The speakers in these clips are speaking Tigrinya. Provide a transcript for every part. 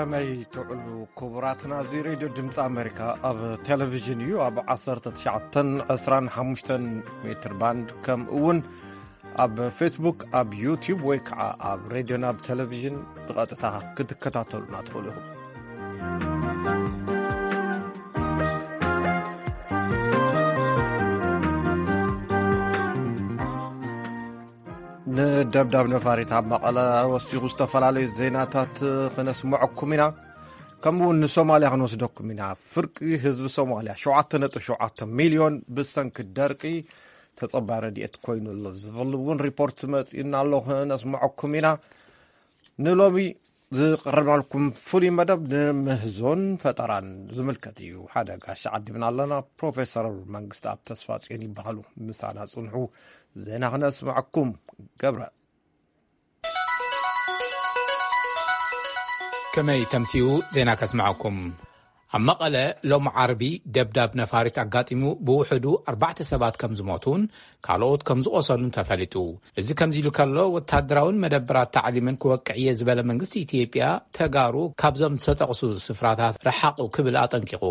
ከመይ ትውዕሉ ክቡራትና? እዚ ሬድዮ ድምፂ ኣሜሪካ ኣብ ቴሌቪዥን እዩ። ኣብ ዓሰርተ ትሽዓተን ዕስራን ሓሙሽተን ሜትር ባንድ፣ ከምኡ እውን ኣብ ፌስቡክ፣ ኣብ ዩቲዩብ ወይ ከዓ ኣብ ሬድዮና ኣብ ቴሌቪዥን ብቐጥታ ክትከታተሉና ትኽእሉ ኢኹም። ንደብዳብ ነፋሪት ኣብ መቐለ ወሲኹ ዝተፈላለዩ ዜናታት ክነስምዐኩም ኢና። ከምኡ እውን ንሶማልያ ክንወስደኩም ኢና። ፍርቂ ህዝቢ ሶማልያ፣ ሸውዓተ ነጥቢ ሸውዓተ ሚልዮን፣ ብሰንኪ ደርቂ ተጸባይ ረድኤት ኮይኑ ኣሎ ዝብል እውን ሪፖርት መጺኡና ኣሎ፣ ክነስምዐኩም ኢና። ንሎሚ ዝቐረብናልኩም ፍሉይ መደብ ንምህዞን ፈጠራን ዝምልከት እዩ። ሓደ ጋሻ ዓዲብና ኣለና። ፕሮፌሰር መንግስቲ ኣብ ተስፋ ጽዮን ይበሃሉ። ምሳና ጽንሑ፣ ዜና ክነስምዐኩም። ገብረ። ከመይ ተምሲኡ ዜና ከስምዐኩም። ኣብ መቐለ ሎም ዓርቢ ደብዳብ ነፋሪት ኣጋጢሙ ብውሕዱ ኣርባዕተ ሰባት ከም ዝሞቱን ካልኦት ከም ዝቆሰሉን ተፈሊጡ። እዚ ከምዚ ኢሉ ከሎ፣ ወታደራውን መደበራት ታዕሊምን ክወቅዕ እየ ዝበለ መንግስቲ ኢትዮጵያ፣ ተጋሩ ካብዞም ዝተጠቕሱ ስፍራታት ረሓቑ ክብል ኣጠንቂቑ።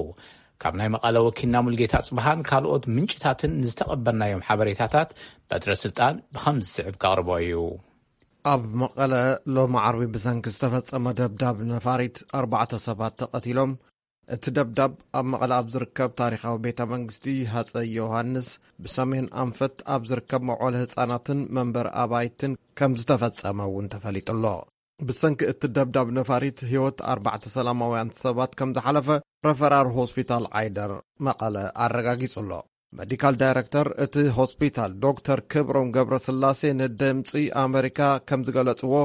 ካብ ናይ መቐለ ወኪልና ሙልጌታ ጽብሃን ካልኦት ምንጭታትን ዝተቐበልናዮም ሓበሬታታት በትረ ስልጣን ብኸም ዝስዕብ ከቕርቦ እዩ። ኣብ መቐለ ሎም ዓርቢ ብሰንኪ ዝተፈጸመ ደብዳብ ነፋሪት ኣርባዕተ ሰባት ተቐቲሎም። እቲ ደብዳብ ኣብ መቐለ ኣብ ዝርከብ ታሪኻዊ ቤተ መንግስቲ ሃጸይ ዮሃንስ፣ ብሰሜን ኣንፈት ኣብ ዝርከብ መውዓሊ ህጻናትን መንበሪ ኣባይትን ከም ዝተፈጸመ እውን ተፈሊጡ ኣሎ። ብሰንኪ እቲ ደብዳብ ነፋሪት ህይወት ኣርባዕተ ሰላማውያን ሰባት ከም ዝሓለፈ ረፈራር ሆስፒታል ዓይደር መቐለ ኣረጋጊጹ ኣሎ። ሜዲካል ዳይረክተር እቲ ሆስፒታል ዶክተር ክብሮም ገብረስላሴ ንድምጺ ኣመሪካ ከም ዝገለጽዎ፣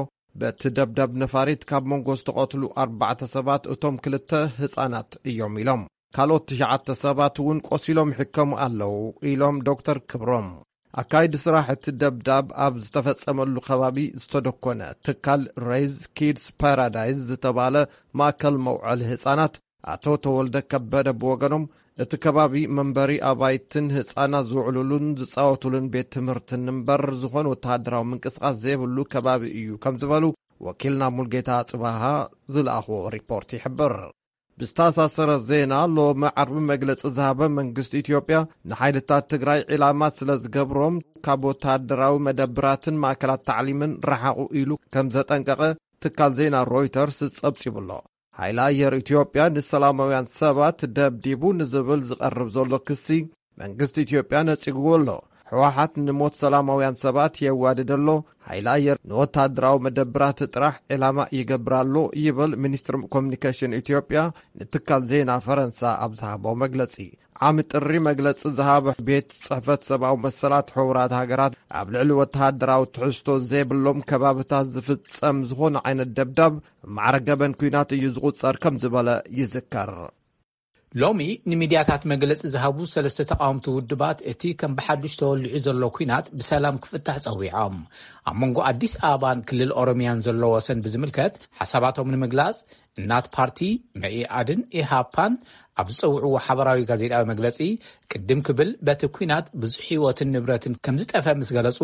በቲ ደብዳብ ነፋሪት ካብ መንጎ ዝተቐትሉ ኣርባዕተ ሰባት እቶም ክልተ ህጻናት እዮም ኢሎም። ካልኦት ትሽዓተ ሰባት እውን ቆሲሎም ይሕከሙ ኣለዉ ኢሎም ዶክተር ክብሮም። ኣካይዲ ስራሕ እቲ ደብዳብ ኣብ ዝተፈጸመሉ ከባቢ ዝተደኮነ ትካል ሬይዝ ኪድስ ፓራዳይዝ ዝተባለ ማእከል መውዓሊ ህጻናት ኣቶ ተወልደ ከበደ ብወገኖም፣ እቲ ከባቢ መንበሪ ኣባይትን ህጻናት ዝውዕሉሉን ዝጻወቱሉን ቤት ትምህርትን እምበር ዝኾነ ወተሃደራዊ ምንቅስቓስ ዘይብሉ ከባቢ እዩ ከም ዝበሉ ወኪልና ሙልጌታ ጽባሃ ዝለኣኽዎ ሪፖርት ይሕብር። ብዝተኣሳሰረ ዜና፣ ሎሚ ዓርቢ መግለጺ ዝሃበ መንግስቲ ኢትዮጵያ፣ ንሓይልታት ትግራይ ዒላማ ስለ ዝገብሮም ካብ ወተሃደራዊ መደብራትን ማእከላት ታዕሊምን ረሓቑ ኢሉ ከም ዘጠንቀቐ ትካል ዜና ሮይተርስ ጸብጺቡ ኣሎ። ሓይሊ ኣየር ኢትዮጵያ ንሰላማውያን ሰባት ደብዲቡ ንዝብል ዝቐርብ ዘሎ ክሲ መንግስቲ ኢትዮጵያ ነጺግዎ ኣሎ። ህወሓት ንሞት ሰላማውያን ሰባት የዋድድ ኣሎ፣ ሓይሊ ኣየር ንወታደራዊ መደብራት ጥራሕ ዕላማ ይገብር ኣሎ ይብል ሚኒስትሪ ኮሚኒኬሽን ኢትዮጵያ ንትካል ዜና ፈረንሳ ኣብ ዝሃቦ መግለጺ። ዓሚ ጥሪ መግለጺ ዝሃበ ቤት ጽሕፈት ሰብኣዊ መሰላት ሕቡራት ሃገራት፣ ኣብ ልዕሊ ወተሃደራዊ ትሕዝቶ ዘይብሎም ከባብታት ዝፍጸም ዝኾነ ዓይነት ደብዳብ ማዕረ ገበን ኲናት እዩ ዝቑጸር ከም ዝበለ ይዝከር። ሎሚ ንሚድያታት መግለጺ ዝሃቡ ሰለስተ ተቓወምቲ ውድባት፣ እቲ ከም ብሓዱሽ ተወሊዑ ዘሎ ኲናት ብሰላም ክፍታሕ ጸዊዖም። ኣብ መንጎ ኣዲስ ኣበባን ክልል ኦሮሚያን ዘሎ ወሰን ብዝምልከት ሓሳባቶም ንምግላጽ፣ እናት ፓርቲ፣ መኢኣድን ኢሃፓን ኣብ ዝጸውዕዎ ሓበራዊ ጋዜጣዊ መግለጺ፣ ቅድም ክብል በቲ ኲናት ብዙሕ ህይወትን ንብረትን ከም ዝጠፈ ምስ ገለጹ፣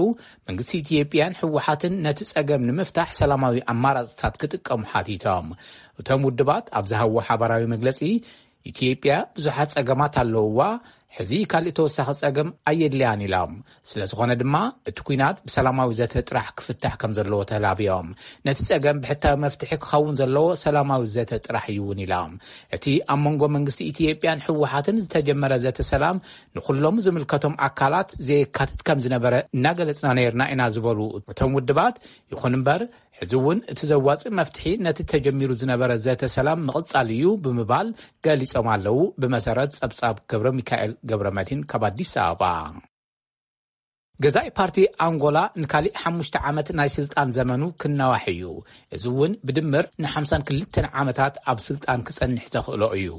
መንግስቲ ኢትዮጵያን ህወሓትን ነቲ ጸገም ንምፍታሕ ሰላማዊ ኣማራጽታት ክጥቀሙ ሓቲቶም። እቶም ውድባት ኣብ ዝሃብዎ ሓበራዊ መግለጺ፣ ኢትዮጵያ ብዙሓት ጸገማት ኣለውዋ፣ ሕዚ ካልእ ተወሳኺ ጸገም ኣየድልያን ኢሎም። ስለ ዝኾነ ድማ እቲ ኲናት ብሰላማዊ ዘተ ጥራሕ ክፍታሕ ከም ዘለዎ ተላብዮም። ነቲ ጸገም ብሕታዊ መፍትሒ ክኸውን ዘለዎ ሰላማዊ ዘተ ጥራሕ እዩ እውን ኢሎም። እቲ ኣብ መንጎ መንግስቲ ኢትዮጵያን ህወሓትን ዝተጀመረ ዘተ ሰላም ንኹሎም ዝምልከቶም ኣካላት ዘየካትት ከም ዝነበረ እናገለጽና ነይርና ኢና ዝበሉ እቶም ውድባት፣ ይኹን እምበር ሕዚ እውን እቲ ዘዋጽእ መፍትሒ ነቲ ተጀሚሩ ዝነበረ ዘተ ሰላም ምቕጻል እዩ ብምባል ገሊጾም ኣለዉ። ብመሰረት ጸብጻብ ገብረ ሚካኤል ገብረ መድህን ካብ ኣዲስ ኣበባ። ገዛኢ ፓርቲ ኣንጎላ ንካሊእ ሓሙሽተ ዓመት ናይ ስልጣን ዘመኑ ክናዋሕ እዩ። እዚ እውን ብድምር ንሓምሳን ክልተን ዓመታት ኣብ ስልጣን ክጸንሕ ዘኽእሎ እዩ።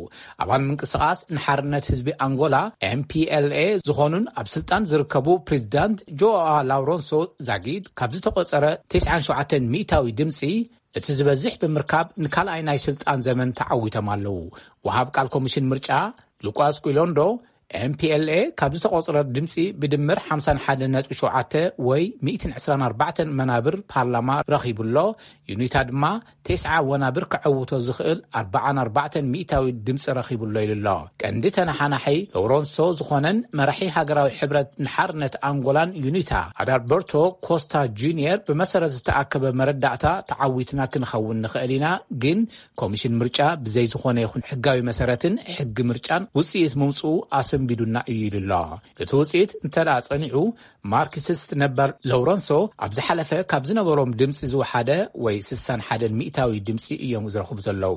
ኣባል ምንቅስቓስ ንሓርነት ህዝቢ ኣንጎላ፣ M P L A፣ ዝኾኑን ኣብ ስልጣን ዝርከቡ ፕሬዚዳንት ጆኣ ላውረንሶ ዛጊድ ካብ ዝተቖጸረ ተስዓን ሸውዓተን ሚእታዊ ድምጺ እቲ ዝበዝሕ ብምርካብ ንካልኣይ ናይ ስልጣን ዘመን ተዓዊቶም ኣለዉ። ወሃብ ቃል ኮሚሽን ምርጫ ሉቃስ ቁሎንዶ M P L A ካብ ዝተቖጽረ ድምጺ ብድምር ሓምሳን ሓደን ነጥቢ ሸውዓተ ወይ ሚእትን ዕስራን ኣርባዕተን መናብር ፓርላማ ረኺቡ ኣሎ። ዩኒታ ድማ ተስዓ ወናብር ክዕውቶ ዝኽእል ኣርባዓን ኣርባዕተን ሚእታዊ ድምጺ ረኺቡ ኣሎ ኢሉ ኣሎ። ቀንዲ ተነሓናሒ ሎረንሶ ዝኾነን መራሒ ሃገራዊ ሕብረት ንሓርነት ኣንጎላን ዩኒታ ኣዳልበርቶ ኮስታ ጁኒየር ብመሰረት ዝተኣከበ መረዳእታ ተዓዊትና ክንኸውን ንኽእል ኢና፣ ግን ኮሚሽን ምርጫ ብዘይ ዝኾነ ይኹን ሕጋዊ መሰረትን ሕጊ ምርጫን ውጽኢት ምምጽኡ ኣሰንቢዱና እዩ ኢሉ ኣሎ። እቲ ውጽኢት እንተ ደኣ ጸኒዑ፣ ማርክሲስት ነበር ሎረንሶ ኣብ ዝሓለፈ ካብ ዝነበሮም ድምጺ ዝወሓደ ወይ ስሳን ሓደን ሚእታዊ ድምጺ እዮም ዝረኽቡ ዘለዉ።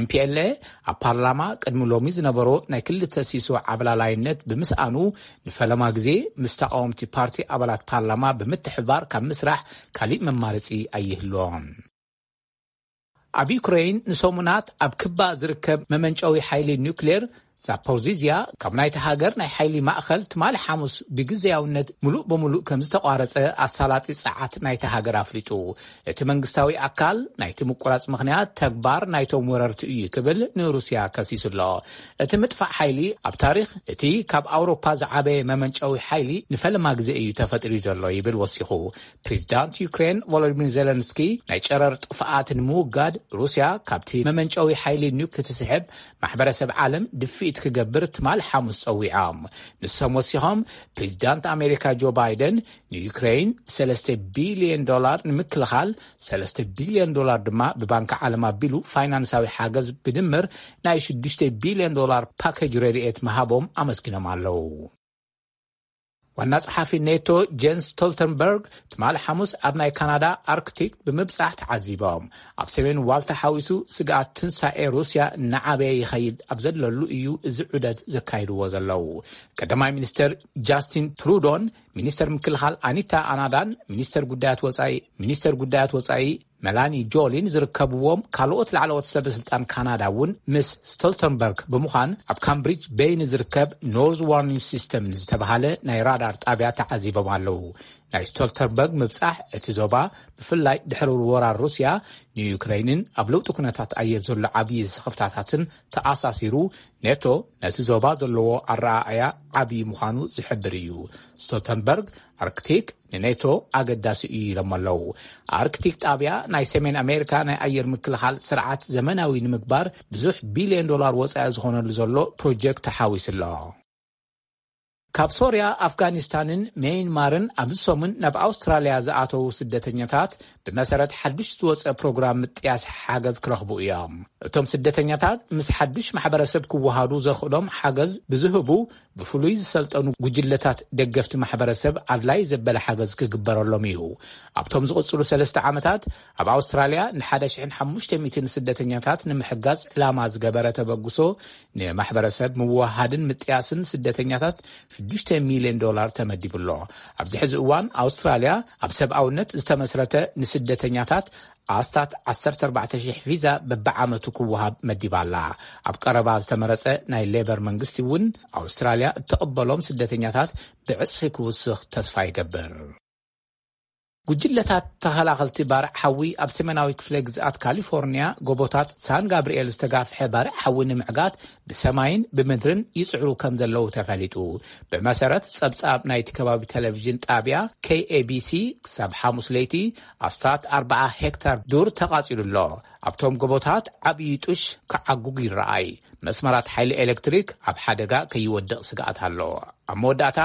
M P L A ኣብ ፓርላማ ቅድሚ ሎሚ ዝነበሮ ናይ ክልተ ሲሶ ዓብላላይነት ብምስኣኑ፣ ንፈለማ ግዜ ምስ ተቃወምቲ ፓርቲ ኣባላት ፓርላማ ብምትሕባር ካብ ምስራሕ ካሊእ መማረጺ ኣይህልዎን። ኣብ ዩክሬን ንሰሙናት ኣብ ክባ ዝርከብ መመንጨዊ ሓይሊ ኒውክሌር ዛፖሪዚያ ካብ ናይቲ ሃገር ናይ ሓይሊ ማእኸል ትማሊ ሓሙስ ብግዜያውነት ምሉእ ብምሉእ ከም ዝተቋረጸ ኣሳላጢ ጸዓት ናይቲ ሃገር ኣፍሊጡ። እቲ መንግስታዊ ኣካል ናይቲ ምቁራጽ ምኽንያት ተግባር ናይቶም ወረርቲ እዩ ክብል ንሩስያ ከሲሱ ኣሎ። እቲ ምጥፋእ ሓይሊ ኣብ ታሪኽ እቲ ካብ ኣውሮፓ ዝዓበየ መመንጨዊ ሓይሊ ንፈለማ ግዜ እዩ ተፈጢሩ ዘሎ ይብል ወሲኹ። ፕሬዚዳንት ዩክሬን ቮሎዲሚር ዜለንስኪ ናይ ጨረር ጥፍኣት ንምውጋድ ሩስያ ካብቲ መመንጨዊ ሓይሊ ኒውክ ክትስሕብ ማሕበረሰብ ዓለም ድፍኢት ክገብር ትማል ሓሙስ ጸዊዖም። ንሶም ወሲኾም ፕሬዚዳንት ኣሜሪካ ጆ ባይደን ንዩክሬን ሰለስተ ቢልዮን ዶላር ንምክልኻል፣ ሰለስተ ቢልዮን ዶላር ድማ ብባንክ ዓለም ኣቢሉ ፋይናንሳዊ ሓገዝ ብድምር ናይ ሽዱሽተ ቢልዮን ዶላር ፓኬጅ ረድኤት ምሃቦም ኣመስጊኖም ኣለዉ። ዋና ጸሓፊ ኔቶ ጀንስ ስቶልተንበርግ ትማሊ ሓሙስ ኣብ ናይ ካናዳ ኣርክቲክ ብምብጻሕ ተዓዚቦም። ኣብ ሰሜን ዋልታ ሓዊሱ ስግኣት ትንሳኤ ሩስያ እናዓበየ ይኸይድ ኣብ ዘለሉ እዩ እዚ ዑደት ዘካይድዎ ዘለዉ። ቀዳማይ ሚኒስተር ጃስቲን ትሩዶን ሚኒስተር ምክልኻል ኣኒታ ኣናዳን ሚኒስተር ጉዳያት ወጻኢ ሚኒስተር ጉዳያት ወጻኢ መላኒ ጆሊን ዝርከብዎም ካልኦት ላዕለዎት ሰበ ስልጣን ካናዳ እውን ምስ ስቶልተንበርግ ብምዃን ኣብ ካምብሪጅ በይ ንዝርከብ ኖርዝ ዋርኒንግ ሲስተም ንዝተባሃለ ናይ ራዳር ጣብያ ተዓዚቦም ኣለዉ። ናይ ስቶልተንበርግ ምብጻሕ እቲ ዞባ ብፍላይ ድሕሪ ወራር ሩስያ ንዩክሬንን ኣብ ለውጢ ኩነታት ኣየር ዘሎ ዓብዪ ስኽፍታታትን ተኣሳሲሩ፣ ኔቶ ነቲ ዞባ ዘለዎ ኣረኣእያ ዓብዪ ምዃኑ ዝሕብር እዩ። ስቶልተንበርግ ኣርክቲክ ንኔቶ ኣገዳሲ እዩ ኢሎም ኣለዉ። ኣርክቲክ ጣብያ ናይ ሰሜን ኣሜሪካ ናይ ኣየር ምክልኻል ስርዓት ዘመናዊ ንምግባር ብዙሕ ቢልዮን ዶላር ወጻኢ ዝኾነሉ ዘሎ ፕሮጀክት ተሓዊሱ ኣሎ። ካብ ሶርያ፣ ኣፍጋኒስታንን ሜይንማርን ኣብዚ ሰሙን ናብ ኣውስትራልያ ዝኣተዉ ስደተኛታት ብመሰረት ሓዱሽ ዝወጸ ፕሮግራም ምጥያስ ሓገዝ ክረኽቡ እዮም። እቶም ስደተኛታት ምስ ሓዱሽ ማሕበረሰብ ክወሃዱ ዘኽእሎም ሓገዝ ብዝህቡ ብፍሉይ ዝሰልጠኑ ጉጅለታት ደገፍቲ ማሕበረሰብ ኣድላይ ዘበለ ሓገዝ ክግበረሎም እዩ። ኣብቶም ዝቕጽሉ ሰለስተ ዓመታት ኣብ ኣውስትራልያ ንሓደ ሽሕን ሓሙሽተ ሚእትን ስደተኛታት ንምሕጋዝ ዕላማ ዝገበረ ተበግሶ ንማሕበረሰብ ምውሃድን ምጥያስን ስደተኛታት ሽዱሽተ ሚልዮን ዶላር ተመዲቡ ኣሎ። ኣብዚ ሕዚ እዋን ኣውስትራልያ ኣብ ሰብኣውነት ዝተመስረተ ንስደተኛታት ኣስታት ዓሰርተ ኣርባዕተ ሽሕ ቪዛ በብዓመቱ ክወሃብ መዲባ ኣላ። ኣብ ቀረባ ዝተመረጸ ናይ ሌበር መንግስቲ እውን ኣውስትራልያ እተቐበሎም ስደተኛታት ብዕጽፊ ክውስኽ ተስፋ ይገብር። ጉጅለታት ተኸላኸልቲ ባርዕ ሓዊ ኣብ ሰሜናዊ ክፍለ ግዝኣት ካሊፎርኒያ ጎቦታት ሳን ጋብርኤል ዝተጋፍሐ ባርዕ ሓዊ ንምዕጋት ብሰማይን ብምድርን ይጽዕሩ ከም ዘለዉ ተፈሊጡ። ብመሰረት ጸብጻብ ናይቲ ከባቢ ቴሌቪዥን ጣብያ K A B C፣ ክሳብ ሓሙስ ለይቲ ኣስታት ኣርብዓ ሄክታር ዱር ተቓጺሉ ኣሎ። ኣብቶም ጎቦታት ዓብዪ ጡሽ ክዓጉግ ይረኣይ። መስመራት ሓይሊ ኤሌክትሪክ ኣብ ሓደጋ ከይወድቕ ስግኣት ኣሎ። ኣብ መወዳእታ፣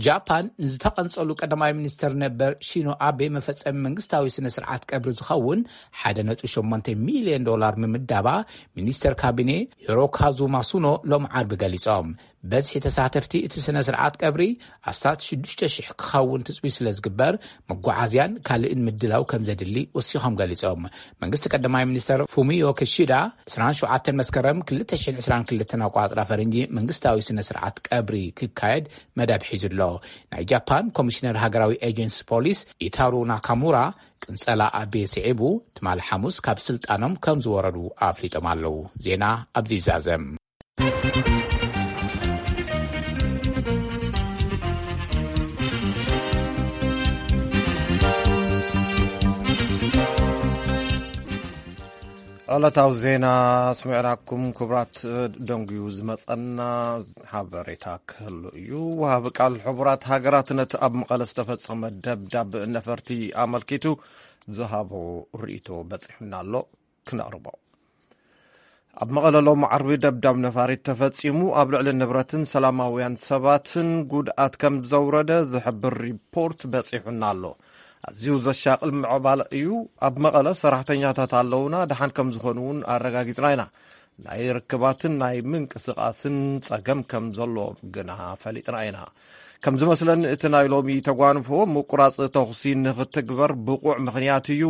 ጃፓን ንዝተቐንጸሉ ቀዳማይ ሚኒስተር ነበር ሺኖ ኣቤ መፈጸሚ መንግስታዊ ስነ ስርዓት ቀብሪ ዝኸውን ሓደ ነጥቢ ሸሞንተ ሚልዮን ዶላር ምምዳባ ሚኒስተር ካቢኔ ሂሮካዙ ማሱኖ ሎም ዓርቢ ገሊጾም። በዝሒ ተሳተፍቲ እቲ ስነ ስርዓት ቀብሪ ኣስታት ሽዱሽተ ሽሕ ክኸውን ትጽቢት ስለ ዝግበር፣ መጓዓዝያን ካልእን ምድላው ከም ዘድሊ ወሲኾም ገሊጾም። መንግስቲ ቀዳማይ ሚኒስተር ፉሚዮ ክሺዳ ዕስራን ሸውዓተን መስከረም ክልተ ሽሕን ዕስራን ክልተን ኣቋጽራ ፈረንጂ መንግስታዊ ስነ ስርዓት ቀብሪ ክካየድ መደብ ሒዙ ኣሎ። ናይ ጃፓን ኮሚሽነር ሃገራዊ ኤጀንሲ ፖሊስ ኢታሩ ናካሙራ ቅንጸላ ኣቤ ስዒቡ ትማሊ ሓሙስ ካብ ስልጣኖም ከም ዝወረዱ ኣፍሊጦም ኣለዉ። ዜና ኣብዚ ይዛዘም። ዕለታዊ ዜና ስሚዕናኩም። ክቡራት፣ ደንጉዩ ዝመጸና ሓበሬታ ክህሉ እዩ። ወሃቢ ቃል ሕቡራት ሃገራት ነቲ ኣብ መቐለ ዝተፈጸመ ደብዳብ ነፈርቲ ኣመልኪቱ ዝሃቦ ርእይቶ በጺሑና ኣሎ፣ ክነቕርቦ። ኣብ መቐለ ሎሚ ዓርቢ ደብዳብ ነፋሪት ተፈጺሙ፣ ኣብ ልዕሊ ንብረትን ሰላማውያን ሰባትን ጉድኣት ከም ዘውረደ ዝሕብር ሪፖርት በጺሑና ኣሎ። ኣዝዩ ዘሻቕል ምዕባለ እዩ። ኣብ መቐለ ሰራሕተኛታት ኣለውና፣ ደሓን ከም ዝኾኑ እውን ኣረጋጊጽና ኢና። ናይ ርክባትን ናይ ምንቅስቓስን ጸገም ከም ዘለዎም ግና ፈሊጥና ኢና። ከም ዝመስለኒ እቲ ናይ ሎሚ ተጓንፎ ምቁራጽ ተኹሲ ንኽትግበር ብቑዕ ምኽንያት እዩ።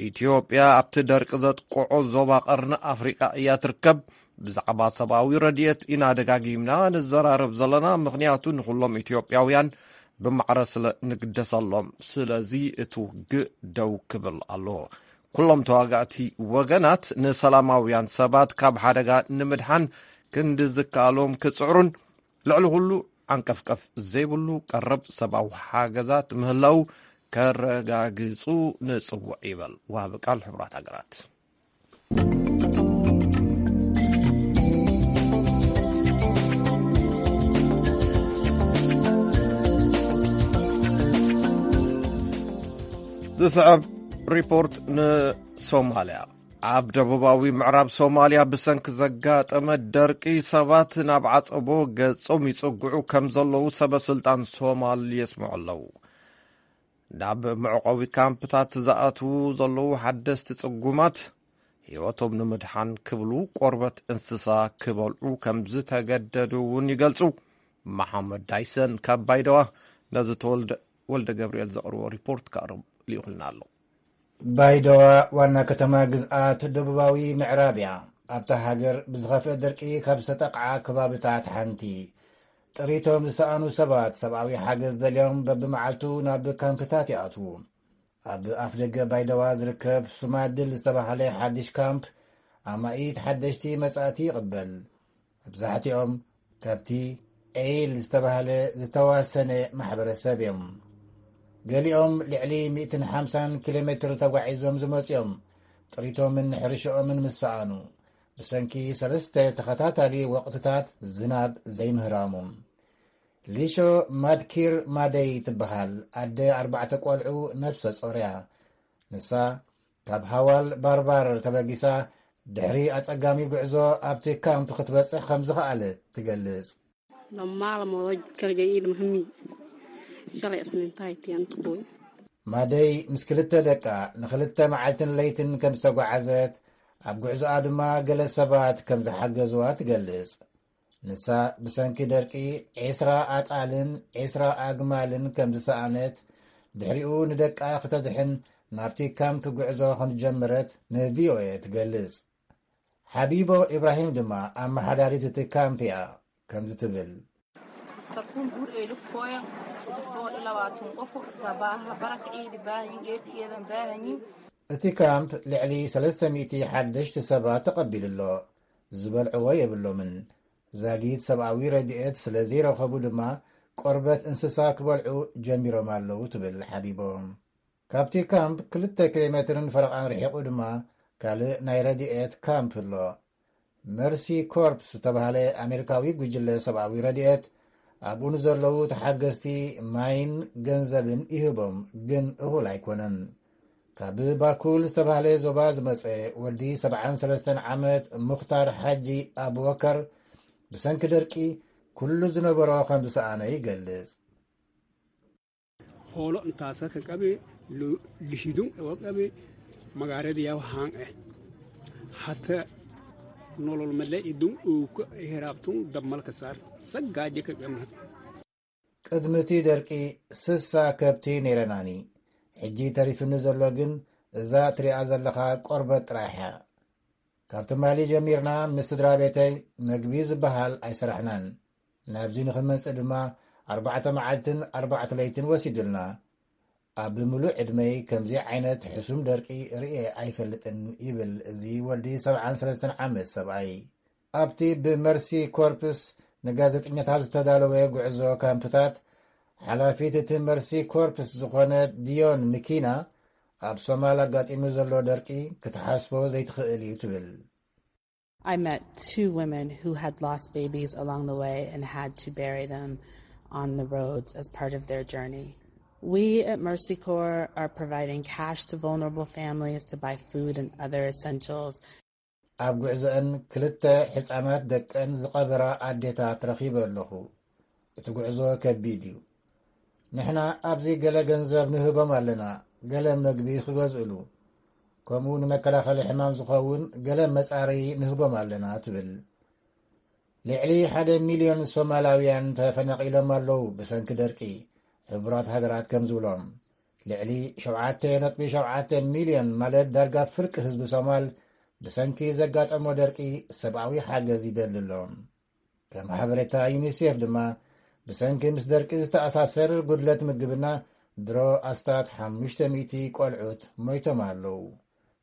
ኢትዮጵያ ኣብቲ ደርቂ ዘጥቅዖ ዞባ ቀርኒ ኣፍሪቃ እያ ትርከብ። ብዛዕባ ሰብኣዊ ረድኤት ኢና ደጋጊምና ንዘራረብ ዘለና፣ ምኽንያቱ ንኹሎም ኢትዮጵያውያን ብማዕረ ስለ ንግደሰሎም። ስለዚ እቲ ውግእ ደው ክብል ኣለዎ። ኩሎም ተዋጋእቲ ወገናት ንሰላማውያን ሰባት ካብ ሓደጋ ንምድሓን ክንዲ ዝከኣሎም ክጽዕሩን ልዕሊ ኩሉ ዓንቀፍቀፍ ዘይብሉ ቀረብ ሰብኣዊ ሓገዛት ምህላው ከረጋግጹ ንጽውዕ ይበል ወሃቢ ቃል ሕቡራት ሃገራት። ዝስዕብ ሪፖርት ንሶማልያ። ኣብ ደቡባዊ ምዕራብ ሶማልያ ብሰንኪ ዘጋጠመ ደርቂ ሰባት ናብ ዓጸቦ ገጾም ይጽግዑ ከም ዘለዉ ሰበ ስልጣን ሶማል የስምዑ ኣለዉ። ናብ መዕቆቢ ካምፕታት ዝኣትዉ ዘለዉ ሓደስቲ ጽጉማት ህይወቶም ንምድሓን ክብሉ ቆርበት እንስሳ ክበልዑ ከም ዝተገደዱ እውን ይገልጹ። መሓመድ ዳይሰን ካብ ባይደዋ ነዚ ተወልደ ወልደ ገብርኤል ዘቕርቦ ሪፖርት ከቕርብ ልኢኹልና ኣሎ። ባይደዋ ዋና ከተማ ግዝኣት ደቡባዊ ምዕራብ እያ። ኣብታ ሃገር ብዝኸፍአ ደርቂ ካብ ዝተጠቕዓ ከባብታት ሓንቲ። ጥሪቶም ዝሰኣኑ ሰባት ሰብኣዊ ሓገዝ ደልዮም በብመዓልቱ ናብ ካምፕታት ይኣትዉ። ኣብ ኣፍደገ ባይደዋ ዝርከብ ሱማድል ዝተባህለ ሓድሽ ካምፕ ኣማኢት ሓደሽቲ መጻእቲ ይቕበል። መብዛሕትኦም ካብቲ ኤይል ዝተባህለ ዝተዋሰነ ማሕበረሰብ እዮም። ገሊኦም ልዕሊ ሚእትን ሓምሳን ኪሎ ሜትር ተጓዒዞም ዝመጹ እዮም። ጥሪቶምን ሕርሽኦምን ምስ ሰኣኑ፣ ብሰንኪ ሰለስተ ተኸታታሊ ወቕትታት ዝናብ ዘይምህራሙ። ሊሾ ማድኪር ማደይ ትበሃል ኣደ ኣርባዕተ ቆልዑ ነብሰ ጾር እያ። ንሳ ካብ ሃዋል ባርባር ተበጊሳ ድሕሪ ኣጸጋሚ ጉዕዞ ኣብቲ ካምፕ ክትበጽሕ ከም ዝኸኣለት ትገልጽ። Lama maalmood oo kaligeed iyo muhiim shalay isniintahay tiyan tuqoy. ማደይ ምስ ክልተ ደቃ ንኽልተ መዓልትን ለይትን ከም ዝተጓዓዘት፣ ኣብ ጉዕዞኣ ድማ ገለ ሰባት ከም ዝሓገዝዋ ትገልጽ። ንሳ ብሰንኪ ደርቂ ዒስራ ኣጣልን ዒስራ ኣግማልን ከም ዝሰኣነት፣ ድሕሪኡ ንደቃ ክተድሕን ናብቲ ካምፕ ጉዕዞ ከም ዝጀመረት ንቪኦኤ ትገልጽ። ሓቢቦ ኢብራሂም ድማ ኣመሓዳሪት እቲ ካምፕ እያ። ከምዚ ትብል። Takun guur ay lugtooya saddex boqol iyo labaatan qof baa barakac ciidi baahan geed iyadan baahan. እቲ ካምፕ ልዕሊ ሰለስተ ሚእቲ ሓደሽቲ ሰባት ተቐቢሉ ኣሎ። ዝበልዕዎ የብሎምን። ዛጊት ሰብኣዊ ረድኤት ስለ ዘይረኸቡ ድማ ቆርበት እንስሳ ክበልዑ ጀሚሮም ኣለዉ ትብል ሓቢቦ። ካብቲ ካምፕ ክልተ ኪሎ ሜትርን ፈረቓን ርሒቑ ድማ ካልእ ናይ ረድኤት ካምፕ ኣሎ። መርሲ ኮርፕስ ዝተባህለ ኣሜሪካዊ ጉጅለ ሰብኣዊ ረድኤት ኣብኡ ንዘለዉ ተሓገዝቲ ማይን ገንዘብን ይህቦም፣ ግን እኹል ኣይኮነን። ካብ ባኩል ዝተባህለ ዞባ ዝመጸ ወዲ ሰብዓን ሰለስተን ዓመት ሙኽታር ሓጂ ኣቡበከር ብሰንኪ ደርቂ ኩሉ ዝነበሮ ከም ዝሰኣነ ይገልጽ። Hoolo intaasa ka qabe, lu-, lihidun ewa qabe, magaarada yaw haan eh. Hata nolol male idun uuka heraabtun dabmalka saar. Saggaaje ka qabna. ቅድሚ እቲ ደርቂ ስሳ ከብቲ ነይረናኒ። ሕጂ ተሪፍኒ ዘሎ ግን እዛ ትሪኣ ዘለኻ ቆርበት ጥራሕ እያ። ካብ ትማሊ ጀሚርና ምስ ስድራ ቤተይ መግቢ ዝበሃል ኣይሰራሕናን። ናብዚ ንኽንመጽእ ድማ ኣርባዕተ መዓልትን ኣርባዕተ ለይትን ወሲዱልና። ኣብ ምሉእ ዕድመይ ከምዚ ዓይነት ሕሱም ደርቂ ርእየ ኣይፈልጥን ይብል እዚ ወዲ ሰብዓን ሰለስተን ዓመት ሰብኣይ። ኣብቲ ብመርሲ ኮርፕስ ንጋዜጠኛታት ዝተዳለወ ጉዕዞ ካምፕታት ሓላፊት እቲ መርሲ ኮርፕስ ዝኾነ ዲዮን ምኪና ኣብ ሶማል ኣጋጢሙ ዘሎ ደርቂ ክትሓስቦ ዘይትኽእል እዩ ትብል። I met two women who had lost babies along the way and had to bury them on the roads as part of their journey. We at Mercy Corps are providing cash to vulnerable families to buy food and other essentials. ኣብ ጉዕዞአን ክልተ ሕፃናት ደቀን ዝቐበራ ኣዴታት ረኺበ ኣለኹ። እቲ ጉዕዞ ከቢድ እዩ። ንሕና ኣብዚ ገለ ገንዘብ ንህቦም ኣለና፣ ገለ መግቢ ክገዝእሉ፣ ከምኡ ንመከላኸሊ ሕማም ዝኸውን ገለ መጻረዪ ንህቦም ኣለና ትብል። ልዕሊ ሓደ ሚልዮን ሶማላውያን ተፈናቒሎም ኣለዉ ብሰንኪ ደርቂ፣ ሕቡራት ሃገራት ከም ዝብሎም። ልዕሊ ሸውዓተ ነጥቢ ሸውዓተ ሚልዮን ማለት ዳርጋ ፍርቂ ህዝቢ ሶማል ብሰንኪ ዘጋጠሞ ደርቂ ሰብኣዊ ሓገዝ ይደሊ ኣሎ። ከም ሓበሬታ ዩኒሴፍ ድማ ብሰንኪ ምስ ደርቂ ዝተኣሳሰር ጉድለት ምግብና ድሮ ኣስታት ሓሙሽተ ሚእቲ ቆልዑት ሞይቶም ኣለዉ።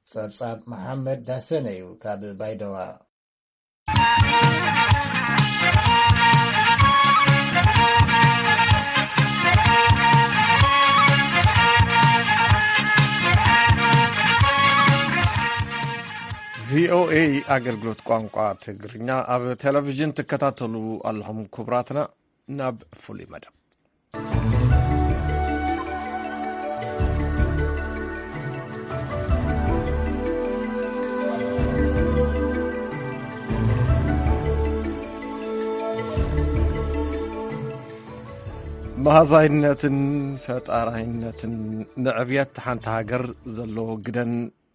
ጸብጻብ መሓመድ ዳሰነ እዩ ካብ ባይደዋ። ቪኦኤ ኣገልግሎት ቋንቋ ትግርኛ ኣብ ቴሌቪዥን ትከታተሉ ኣለኹም ክቡራትና። ናብ ፍሉይ መደብ። መሃዛይነትን ፈጣራይነትን ንዕብየት ሓንቲ ሃገር ዘለዎ ግደን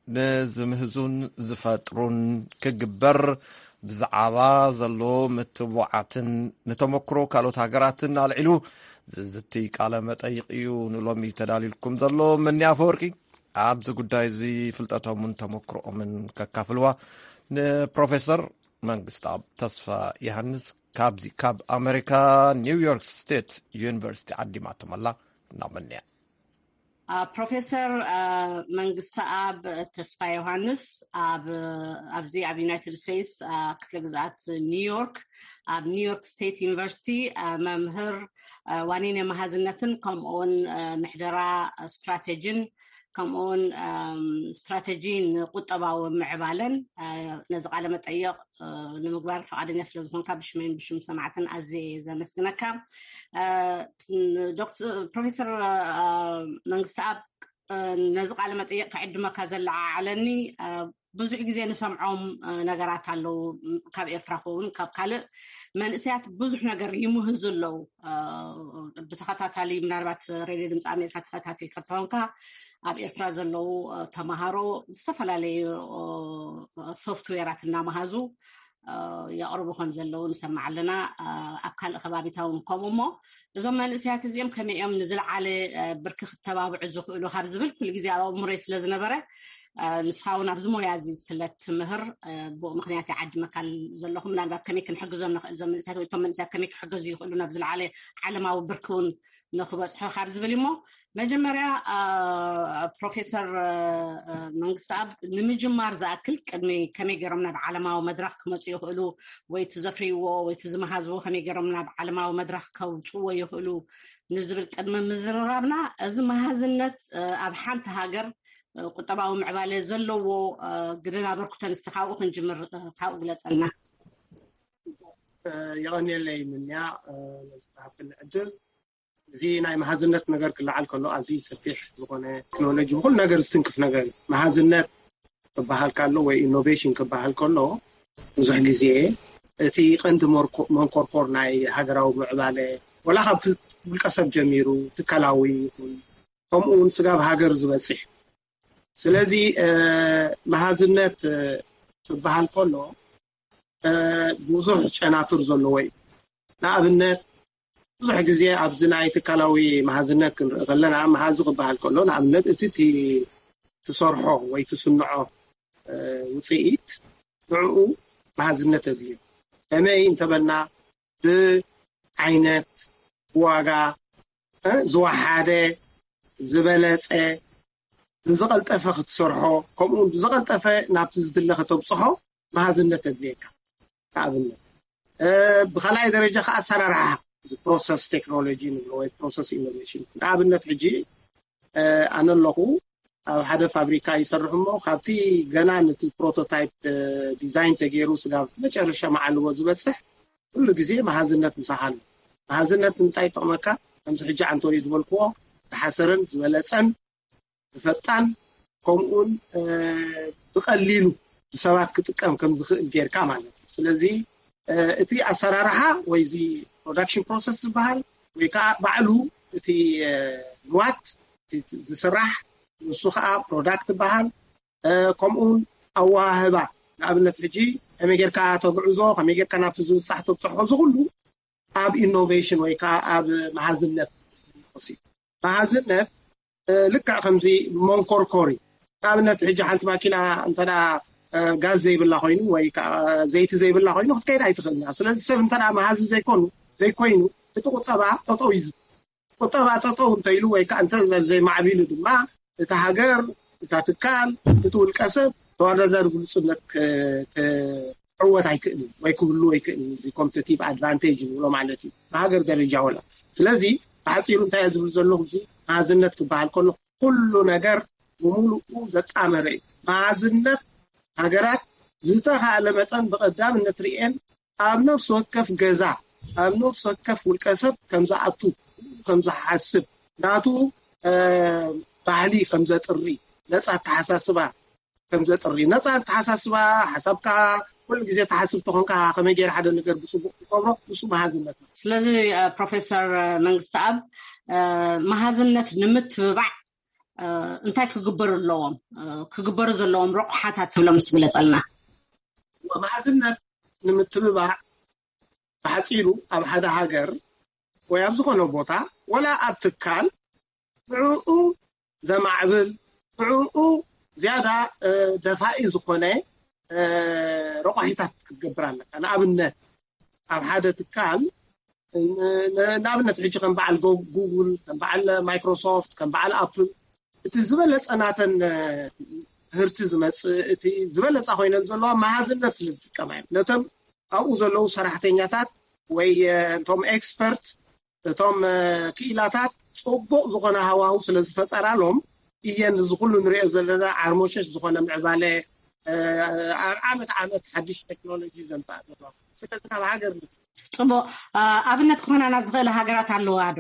ንዝምህዙን ዝፈጥሩን ክግበር ብዛዕባ ዘሎ ምትብባዓትን ንተመክሮ ካልኦት ሃገራትን ኣልዒሉ ዝዝቲ ቃለ መጠይቕ እዩ ንሎሚ ተዳልዩልኩም ዘሎ። መኒ ኣፈወርቂ ኣብዚ ጉዳይ እዚ ፍልጠቶምን ተመክሮኦምን ከካፍልዋ ንፕሮፌሰር መንግስትኣብ ተስፋ ዮሃንስ ካብዚ ካብ ኣሜሪካ ኒውዮርክ ስቴት ዩኒቨርሲቲ ዓዲማቶም ኣላ። እናመንያ ፕሮፌሰር መንግስተኣብ ተስፋ ዮሃንስ ኣብዚ ኣብ ዩናይትድ ስቴትስ ክፍለ ግዝኣት ኒውዮርክ ኣብ ኒውዮርክ ስቴት ዩኒቨርሲቲ መምህር ዋኒነ መሃዝነትን ከምኡውን ምሕደራ ስትራቴጂን ከምኡውን ስትራቴጂ ንቁጠባዊ ምዕባለን ነዚ ቃለ መጠየቕ ንምግባር ፈቓደኛ ስለ ዝኾንካ ብሽመይን ብሽም ሰማዕትን ኣዝየ ዘመስግነካ። ፕሮፌሰር መንግስተኣብ ነዚ ቃለ መጠየቕ ክዕድመካ ዘለዓዓለኒ ብዙሕ ግዜ ንሰምዖም ነገራት ኣለዉ። ካብ ኤርትራ ክውን ካብ ካልእ መንእሰያት ብዙሕ ነገር ይምህዙ ኣለዉ። ብተኸታታሊ ምናልባት ሬድዮ ድምፂ ኣሜሪካ ተኸታተልካ እንተኾንካ ኣብ ኤርትራ ዘለዉ ተምሃሮ ዝተፈላለዩ ሶፍትዌራት እናመሃዙ የቕርቡ ከም ዘለዉ ንሰማዕ ኣለና። ኣብ ካልእ ከባቢታ እውን ከምኡ እሞ እዞም መንእሰያት እዚኦም ከመይ እዮም ንዝለዓለ ብርኪ ክተባብዑ ዝኽእሉ ካብ ዝብል ኩሉ ግዜ ኣብ ኣእምሮይ ስለ ዝነበረ ንስኻ እውን ኣብዚ ሞያ እዚ ስለ ትምህር ብኡ ምክንያት ይዓድመካ ዘለኹ። ምናልባት ከመይ ክንሕግዞም ንኽእል እዞም መንእሰያት ወይ እቶም መንእሰያት ከመይ ክሕገዙ ይኽእሉ ናብ ዝለዓለ ዓለማዊ ብርኪ እውን ንኽበፅሑ ካብ ዝብል እሞ መጀመርያ ፕሮፌሰር መንግስተኣብ ንምጅማር ዝኣክል ቅድሚ ከመይ ገይሮም ናብ ዓለማዊ መድረኽ ክመፁ ይኽእሉ ወይ እቲ ዘፍርይዎ ወይ እቲ ዝመሃዝዎ ከመይ ገይሮም ናብ ዓለማዊ መድረኽ ከውፅዎ ይኽእሉ ንዝብል ቅድሚ ምዝርራብና እዚ መሃዝነት ኣብ ሓንቲ ሃገር ቁጠባዊ ምዕባለ ዘለዎ ግደን ኣበርክቶን እስቲ ካብኡ ክንጅምር ካብኡ ግለፀልና። የቐንየለይ ምንያ ነዝተሃብክኒ ዕድል። እዚ ናይ መሃዝነት ነገር ክለዓል ከሎ ኣዝዩ ሰፊሕ ዝኾነ ቴክኖሎጂ ብኩሉ ነገር ዝትንክፍ ነገር እዩ። መሃዝነት ክበሃል ከሎ ወይ ኢኖቬሽን ክበሃል ከሎ ብዙሕ ግዜ እቲ ቀንዲ መንኮርኮር ናይ ሃገራዊ ምዕባለ ወላ ካብ ውልቀ ሰብ ጀሚሩ ትካላዊ ይኹን ከምኡ እውን ስጋብ ሃገር ዝበፅሕ። ስለዚ መሃዝነት ክበሃል ከሎ ብዙሕ ጨናፍር ዘለዎ እዩ። ንኣብነት ብዙሕ ግዜ ኣብዚ ናይ ትካላዊ መሃዝነት ክንርኢ ከለና መሃዚ ክበሃል ከሎ ንኣብነት እቲ ትሰርሖ ወይ ትስንዖ ውፅኢት ንዕኡ መሃዝነት ኣድልዮ። ከመይ እንተበልና ብዓይነት፣ ብዋጋ ዝወሓደ፣ ዝበለፀ፣ ብዝቐልጠፈ ክትሰርሖ ከምኡ እውን ብዝቐልጠፈ ናብቲ ዝድለ ከተብፅሖ መሃዝነት ኣድልየካ። ንኣብነት ብካልኣይ ደረጃ ከዓ ኣሰራርሓ ፕሮሰስ ቴክኖሎጂ ንብሎ ወይ ፕሮሰስ ኢኖቬሽን ንኣብነት ሕጂ ኣነ ኣለኹ ኣብ ሓደ ፋብሪካ ይሰርሕ እሞ ካብቲ ገና ነቲ ፕሮቶታይፕ ዲዛይን ተገይሩ ስጋብ መጨረሻ መዓልዎ ዝበፅሕ ኩሉ ግዜ መሃዝነት ምሳኻ ኣሎ። መሃዝነት ንምንታይ ይጠቕመካ? ከምዚ ሕጂ ዓንተወይ ዝበልክዎ ዝሓሰረን ዝበለፀን ብፈጣን ከምኡውን ብቀሊሉ ብሰባት ክጥቀም ከም ዝኽእል ጌርካ ማለት እዩ። ስለዚ እቲ ኣሰራርሓ ወይ እዚ ፕሮዳክሽን ፕሮሰስ ዝበሃል ወይ ከዓ ባዕሉ እቲ ንዋት ዝስራሕ ንሱ ከዓ ፕሮዳክት ይበሃል። ከምኡውን ኣወሃህባ ንኣብነት ሕጂ ከመይ ጌርካ ተግዕዞ ከመይ ጌርካ ናብቲ ዝብፃሕ ተብፅሖ እዚ ኩሉ ኣብ ኢኖቬሽን ወይ ከዓ ኣብ መሃዝነት መሃዝነት ልክዕ ከምዚ መንኮርኮሪ ንኣብነት ሕጂ ሓንቲ ማኪና እንተ ጋዝ ዘይብላ ኮይኑ ወይ ከዓ ዘይቲ ዘይብላ ኮይኑ ክትከይድ ኣይትኽእልና። ስለዚ ሰብ እንተ መሃዚ ዘይኮኑ ዘይኮይኑ እቲ ቁጠባ ጠጠው እዩ። ቁጠባ ጠጠው እንተኢሉ ወይ ከዓ እንተ ዘይማዕቢሉ ድማ እታ ሃገር እታ ትካል እቲ ውልቀ ሰብ ተወዳዳሪ ግሉፅነት ክዕወት ኣይክእልን ወይ ክህሉ ኣይክእልን። እዚ ኮምፒቲቲቭ ኣድቫንቴጅ ንብሎ ማለት እዩ ብሃገር ደረጃ ወላ። ስለዚ ብሓፂሩ እንታይ ዝብል ዘለኹ እዚ መሃዝነት ክበሃል ከሎ ኩሉ ነገር ብምሉኡ ዘጣመረ እዩ። መሃዝነት ሃገራት ዝተኻእለ መጠን ብቐዳምነት ርኤን ኣብ ነፍሲ ወከፍ ገዛ ኣብ ነፍሲ ወከፍ ውልቀ ሰብ ከምዝኣቱ ከምዝሓስብ ናቱ ባህሊ ከምዘጥሪ ነፃ ኣተሓሳስባ ከምዘጥሪ ነፃ ኣተሓሳስባ ሓሳብካ ኩሉ ግዜ ተሓስብ ተኾንካ ከመይ ገይር ሓደ ነገር ብፅቡቅ ትገብሮ ንሱ መሃዝነት ነው። ስለዚ ፕሮፌሰር መንግስቲ ኣብ መሃዝነት ንምትብባዕ እንታይ ክግበሩ ኣለዎም ክግበሩ ዘለዎም ረቑሓታት ትብሎም ምስ ግለፀልና። መሃዝነት ንምትብባዕ ብሓፂሩ ኣብ ሓደ ሃገር ወይ ኣብ ዝኾነ ቦታ ወላ ኣብ ትካል ብዕኡ ዘማዕብል ብዕኡ ዝያዳ ደፋኢ ዝኾነ ረቋሒታት ክትገብር ኣለካ። ንኣብነት ኣብ ሓደ ትካል ንኣብነት ሕጂ ከም በዓል ጉጉል ከም በዓል ማይክሮሶፍት ከም በዓል ኣፕል እቲ ዝበለፀ ናተን ምህርቲ ዝመፅእ እቲ ዝበለፃ ኮይነን ዘለዋ መሃዝነት ስለ ዝጥቀማ እዮም። ነቶም ኣብኡ ዘለዉ ሰራሕተኛታት ወይ እቶም ኤክስፐርት እቶም ክኢላታት ፅቡቅ ዝኾነ ሃዋሁ ስለ ዝፈጠራሎም እየን እዚ ኩሉ ንሪኦ ዘለና ዓርሞሸሽ ዝኾነ ምዕባለ ኣብ ዓመት ዓመት ሓድሽ ቴክኖሎጂ ዘምፅኣ ዘለዋ። ስለዚ ካብ ሃገር ፅቡቅ ኣብነት ክኾናና ዝኽእል ሃገራት ኣለዋ ዶ?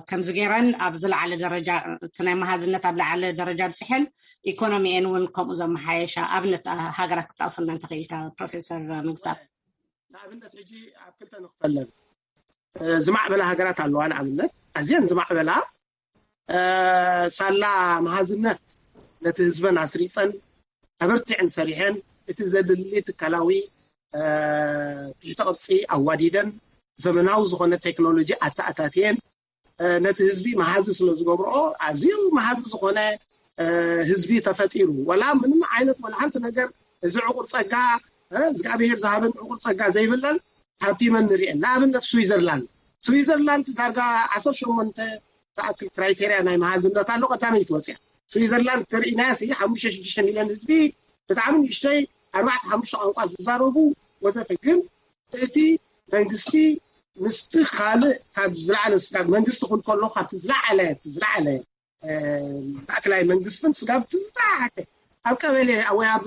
ከምዚ ገይረን ኣብ ዝለዓለ ደረጃ እቲ ናይ መሃዝነት ኣብ ለዓለ ደረጃ ብፅሐን ኢኮኖሚኤን እውን ከምኡ ዘመሓየሻ ኣብነት ሃገራት ክጠቕሰልና እንተኽኢልካ ፕሮፌሰር መንግስታብ። ንኣብነት ሕጂ ኣብ ክልተ ንኽፈለን ዝማዕበላ ሃገራት ኣለዋ። ንኣብነት ኣዝየን ዝማዕበላ ሳላ መሃዝነት ነቲ ህዝበን ኣስሪፀን ኣበርቲዐን ሰሪሐን እቲ ዘድሊ ትካላዊ ትሕተ ቅርፂ ኣዋዲደን ዘመናዊ ዝኾነ ቴክኖሎጂ ኣተኣታትየን ነቲ ህዝቢ መሃዚ ስለ ዝገብርኦ ኣዝዩ መሃዚ ዝኾነ ህዝቢ ተፈጢሩ። ወላ ምንም ዓይነት ወላ ሓንቲ ነገር እዚ ዕቁር ፀጋ እግዚኣብሔር ዝሃበን ዕቁር ፀጋ ዘይብለን ሃብቲመን ንሪኤን። ንኣብነት ስዊዘርላንድ ስዊዘርላንድ ዳርጋ ዓሰርተ ሸሞንተ ዝኣክል ክራይቴርያ ናይ መሃዝነት ኣሎ። ቀዳመይቲ ወፅያ ስዊዘርላንድ ተርእናያ ሲ ሓሙሽተ ሽዱሽተ ሚልዮን ህዝቢ ብጣዕሚ ንእሽተይ ኣርባዕተ ሓሙሽተ ቋንቋ ዝዛረቡ ወዘተ። ግን እቲ መንግስቲ ምስቲ ካልእ ካብ ዝለዓለ ስጋብ መንግስቲ ክብል ከሎ ካብቲ ዝለዓለ እቲ ዝለዓለ ማእከላይ መንግስትን ስጋብ እቲ ዝተሓተ ኣብ ቀበሌ ወይ ኣብ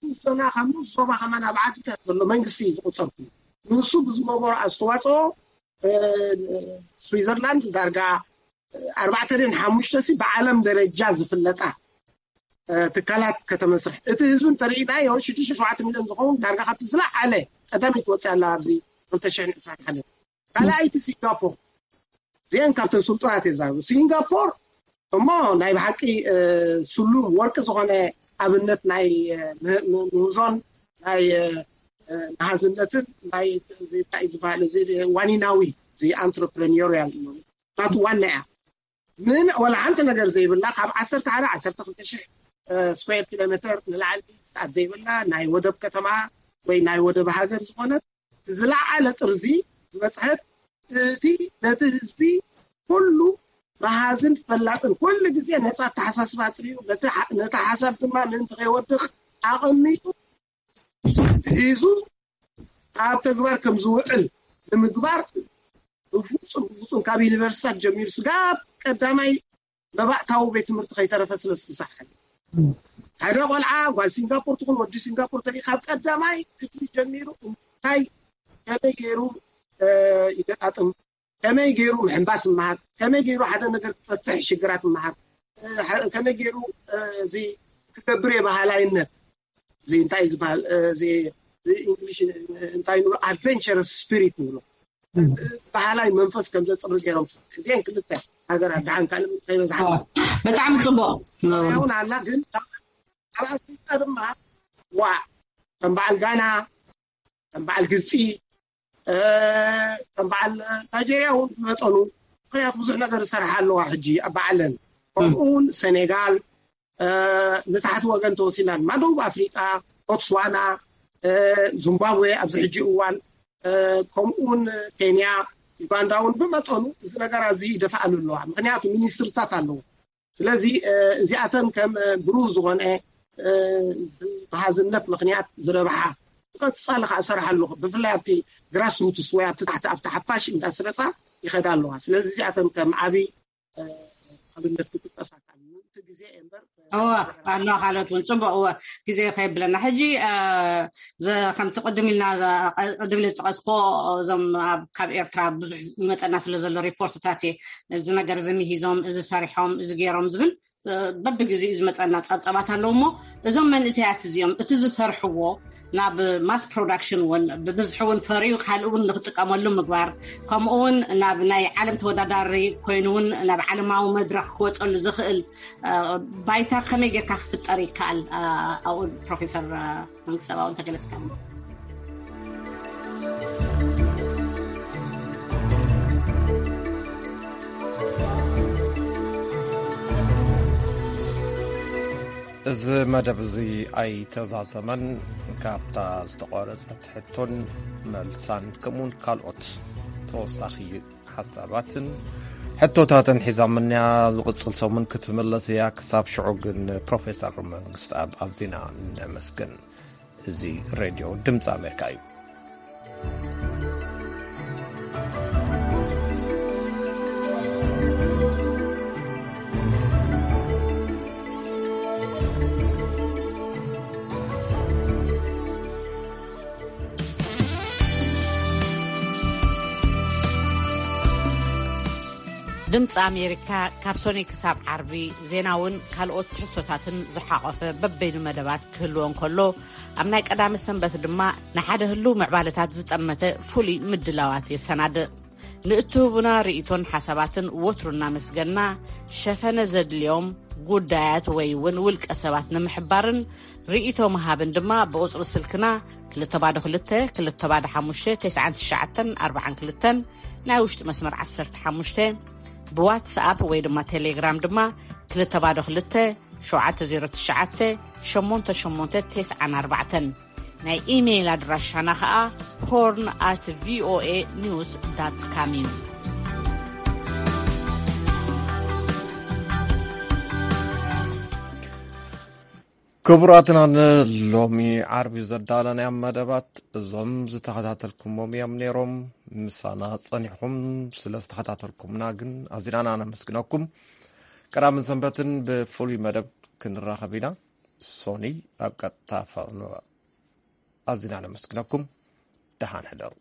ንኡስ ዞና ካብ ንኡስ ዞባ ከማን ኣብ ዓድታት ዘሎ መንግስቲ እዩ ዝቁፀር ኩሉ። ንሱ ብዝገበሮ ኣስተዋፅኦ ስዊዘርላንድ ዳርጋ ኣርባዕተ ድን ሓሙሽተ ሲ ብዓለም ደረጃ ዝፍለጣ ትካላት ከተመስርሕ እቲ ህዝቢ እንተርኢናዮ ሽዱሽተ ሸውዓተ ሚልዮን ዝኸውን ዳርጋ ካብቲ ዝለዓለ ቀዳመይቲ ወፅያ ኣላ ኣብዚ ክልተ ሽሕን ዕስራን ሓደን ካልኣይቲ ሲንጋፖር እዚአን ካብተን ስልጡናት እየ ዝዛረብ። ሲንጋፖር እሞ ናይ ብሓቂ ስሉም ወርቂ ዝኾነ ኣብነት ናይ ምህዞን ናይ መሃዝነትን ናይ እንታይ ዝበሃል እዚ ዋኒናዊ እዚ ኣንትረፕረኒሪያል ናቱ ዋና እያ። ምን ወላ ሓንቲ ነገር ዘይብላ ካብ ዓሰርተ ሓደ ዓሰርተ ክልተ ሽሕ ስኩዌር ኪሎ ሜተር ንላዕሊ ፍቃድ ዘይብላ ናይ ወደብ ከተማ ወይ ናይ ወደብ ሃገር ዝኾነት ዝለዓለ ጥርዚ ዝበፅሐት እቲ ነቲ ህዝቢ ኩሉ መሃዝን ፈላጥን ኩሉ ግዜ ነፃ ኣተሓሳስባ ኣጥርዩ ነቲ ሓሳብ ድማ ምእንቲ ከይወድቕ ኣቐሚጡ ሒዙ ኣብ ተግባር ከም ዝውዕል ንምግባር ብፍፁም ብፍፁም ካብ ዩኒቨርሲታት ጀሚሩ ስጋብ ቀዳማይ መባእታዊ ቤት ትምህርቲ ከይተረፈ ስለ ዝተሳሓለ ሓደ ቆልዓ ጓል ሲንጋፖር ትኹን ወዲ ሲንጋፖር ተርኢ ካብ ቀዳማይ ክፍሊ ጀሚሩ እንታይ ከመይ ገይሩ ይገጣጥም፣ ከመይ ገይሩ ምሕንባስ ይመሃር፣ ከመይ ገይሩ ሓደ ነገር ክፈትሕ ሽግራት ይመሃር፣ ከመይ ገይሩ እዚ ክገብር የባህላይነት እዚ እንታይ ዝበሃል እዚ እንግሊሽ እንታይ ንብሎ ኣድቨንቸረስ ስፒሪት ንብሎ ባህላዊ መንፈስ ከም ዘፅሪ ገይሮም እዚአን ክልተ ሃገራት ደሓን ካልእ ከይበዝሓ ብጣዕሚ ፅቡቅ እውን ኣላ ግን ኣብ ኣፍሪቃ ድማ ዋ ከም በዓል ጋና ከም በዓል ግብፂ ከም በዓል ናይጀርያ እውን ብመጠኑ ምክንያቱ ብዙሕ ነገር ዝሰርሓ ኣለዋ ሕጂ ኣብ በዓለን ከምኡ እውን ሴኔጋል ንታሕቲ ወገን ተወሲና ድማ ደቡብ ኣፍሪቃ ቦትስዋና ዚምባብዌ ኣብዚ ሕጂ እዋን ከምኡውን ኬንያ ዩጋንዳ እውን ብመጠኑ እዚ ነገር እዚ ይደፍኣሉ ኣለዋ ምክንያቱ ሚኒስትርታት ኣለዎ ስለዚ እዚኣተን ከም ብሩህ ዝኾነ ብሃዝነት ምክንያት ዝረብሓ ቀፃሊ ከዓ እሰርሓ ኣለኹ ብፍላይ ኣብቲ ግራስሩትስ ወይ ኣብቲ ታሕቲ ኣብቲ ሓፋሽ እንዳስረፃ ይኸዳ ኣለዋ ስለዚ እዚኣተን ከም ዓብይ ኣብነት ክጥቀሳ ካብ እቲ ግዜ እየ እምበር እወ ኣሎ ካልኦት እውን ፅቡቅ እወ ግዜ ከየብለና ሕጂ ከምቲ ቅድም ኢልና ቅድም ኢለ ዝጠቀስኮ እዞም ካብ ኤርትራ ብዙሕ ይመፀና ስለ ዘሎ ሪፖርትታት እየ እዚ ነገር እዚ ምሂዞም እዚ ሰሪሖም እዚ ገይሮም ዝብል በብግዜኡ ዝመፀና ፀብፀባት ኣለዉ እሞ እዞም መንእሰያት እዚኦም እቲ ዝሰርሕዎ ናብ ማስ ፕሮዳክሽን እውን ብብዝሒ እውን ፈርዩ ካልእ እውን ንክጥቀመሉ ምግባር ከምኡ እውን ናብ ናይ ዓለም ተወዳዳሪ ኮይኑ እውን ናብ ዓለማዊ መድረክ ክወፀሉ ዝኽእል ባይታ ከመይ ጌርካ ክፍጠር ይከኣል ኣብኡ ፕሮፌሰር መንግስቲ ሰብኣዊ እንተገለፅካ እዚ መደብ እዚ ኣይተዛዘመን። ካብታ ዝተቋረጸት ሕቶን መልሳን ከምኡውን ካልኦት ተወሳኺ ሓሳባትን ሕቶታትን ሒዛምንያ ዝቕጽል ሰሙን ክትምለስ እያ። ክሳብ ሽዑ ግን ፕሮፌሰር መንግስትኣብ ኣዚና ነመስግን። እዚ ሬድዮ ድምፂ ኣሜሪካ እዩ። ድምፂ ኣሜሪካ ካብ ሶኒ ክሳብ ዓርቢ ዜናውን ካልኦት ትሕዝቶታትን ዝሓቆፈ በበይኑ መደባት ክህልዎ እንከሎ ኣብ ናይ ቀዳመ ሰንበት ድማ ንሓደ ህልው ምዕባለታት ዝጠመተ ፍሉይ ምድላዋት የሰናድእ። ንእትህቡና ርእይቶን ሓሳባትን ወትሩ እናመስገና ሸፈነ ዘድልዮም ጉዳያት ወይ እውን ውልቀ ሰባት ንምሕባርን ርእይቶ ምሃብን ድማ ብቁፅሪ ስልክና ክልተ ባዶ ክልተ ክልተ ባዶ ሓሙሽተ ተስዓን ትሽዓተን ኣርባዓን ክልተን ናይ ውሽጢ መስመር ዓሰርተ ሓሙሽተ ብዋትስኣፕ ወይ ድማ ቴሌግራም ድማ ክልተ ባዶ ክልተ ሸውዓተ ዜሮ ትሽዓተ ሸሞንተ ሸሞንተ ተስዓን ኣርባዕተን ናይ ኢሜይል ኣድራሻና ኸዓ ሆርን ኣት ቪኦኤ ኒውስ ዳት ካም እዩ። ክቡራትና ንሎሚ ዓርቢ ዘዳለናዮም መደባት እዞም ዝተኸታተልኩሞም እዮም ነይሮም። ምሳና ጸኒሕኩም ስለ ዝተኸታተልኩምና ግን ኣዚና ነመስግነኩም። ቀዳምን ሰንበትን ብፍሉይ መደብ ክንራኸብ ኢና። ሶኒ ኣብ ቀጥታ ፈቕንዋ። ኣዚና ነመስግነኩም። ደሓን ሕደሩ።